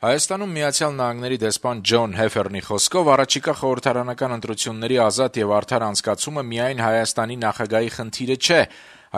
Հայաստանում Միացյալ Նահանգների դեսպան Ջոն Հեֆերնի խոսքով առաջիկա խորհրդարանական ընտրությունների ազատ եւ արդար անցկացումը միայն Հայաստանի նախագահի խնդիրը չէ,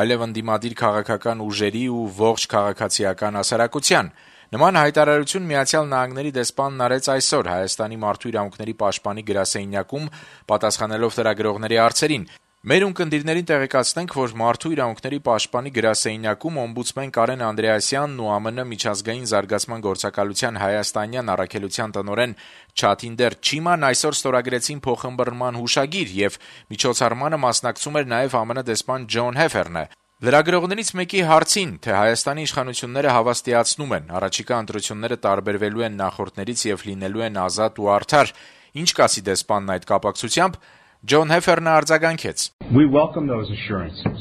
այլեւ ընդդիմադիր քաղաքական ուժերի ու ողջ քաղաքացիական հասարակության։ Նման հայտարարություն Միացյալ Նահանգների դեսպանն արեց այսօր Հայաստանի մարդու իրավունքների պաշտպանի գրասենյակում պատասխանելով լրագրողների հարցերին։ Մեր ունկնդիրներին տեղեկացնենք, որ Մարդու իրավունքների պաշտպանի գրասենյակում օմբուդսմեն Կարեն Անդրեասյանն ու ԱՄՆ միջազգային զարգացման գործակալության հայաստանյան առաքելության տնօրեն Չաթինդեր Չիման այսօր ստորագրեցին փոխըմբռնման հուշագիր եւ միջոցառմանը մասնակցում էր նաեւ ԱՄՆ դեսպան Ջոն Հեֆերնը։ Լրագրողներից մեկի հարցին, թե Հայաստանի իշխանությունները հավաստիացնում են, առաջիկա ընտրությունները տարբերվելու են նախորդներից եւ լինելու են ազատ ու արդար, ինչ կասի դեսպանն այդ կապակցությամբ, Ջոն Հեֆերնը արձագանքեց. We welcome those assurances.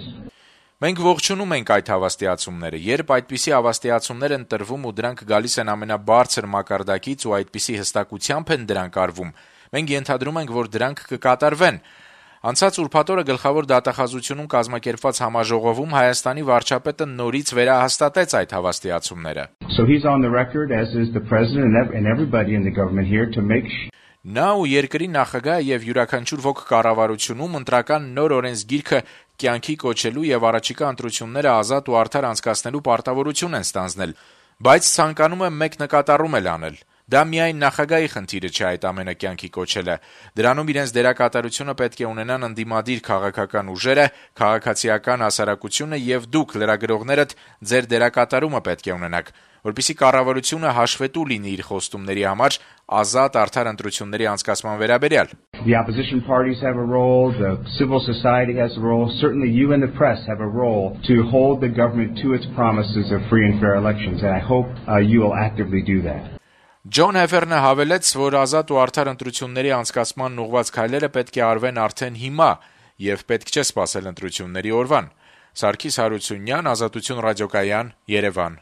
Մենք ողջունում ենք այդ հավաստիացումները, երբ այդպիսի հավաստիացումներ են տրվում ու դրանք գալիս են ամենաբարձր մակարդակից ու այդպիսի հստակությամբ են դրանք արվում, մենք ենթադրում ենք, որ դրանք կկատարվեն։ Անցած ուրբաթ օրը Գլխավոր դատախազությունում կազմակերպված համաժողովում Հայաստանի վարչապետը նորից վերահաստատեց այդ հավաստիացումները։ So he's on the record, as is the president and everybody in the government here, to make Նա ու երկրի նախագահը եւ յուրաքանչյուր ոք կառավարությունում ընտրական նոր օրենսգիրքը կյանքի կոչելու եւ առաջիկա ընտրությունները ազատ ու արդար անցկացնելու պարտավորություն են ստանձնել, բայց ցանկանում եմ մեկ նկատառում էլ անել. Դա միայն նախագահի խնդիրը չէ այդ ամենը կյանքի կոչելը։ Դրանում իրենց դերակատարությունը պետք է ունենան ընդդիմադիր քաղաքական ուժերը, քաղաքացիական հասարակությունը եւ դուք լրագրողներդ ձեր դերակատարումը պետք է ունենաք, որպեսզի կառավարությունը հաշվետու լինի իր խոստումների համար ազատ արդար ընտրությունների անցկացման վերաբերյալ։ The opposition parties have a role, the civil society has a role, certainly you and the press have a role to hold the government to its promises of free and fair elections, and I hope you will actively do that. Ջոն Հեֆերնը հավելեց, որ ազատ ու արդար ընտրությունների անցկացման ուղղված քայլերը պետք է արվեն արդեն հիմա եւ պետք չէ սպասել ընտրությունների օրվան։ Սարգիս Հարությունյան, Ազատություն ռադիոկայան, Երևան։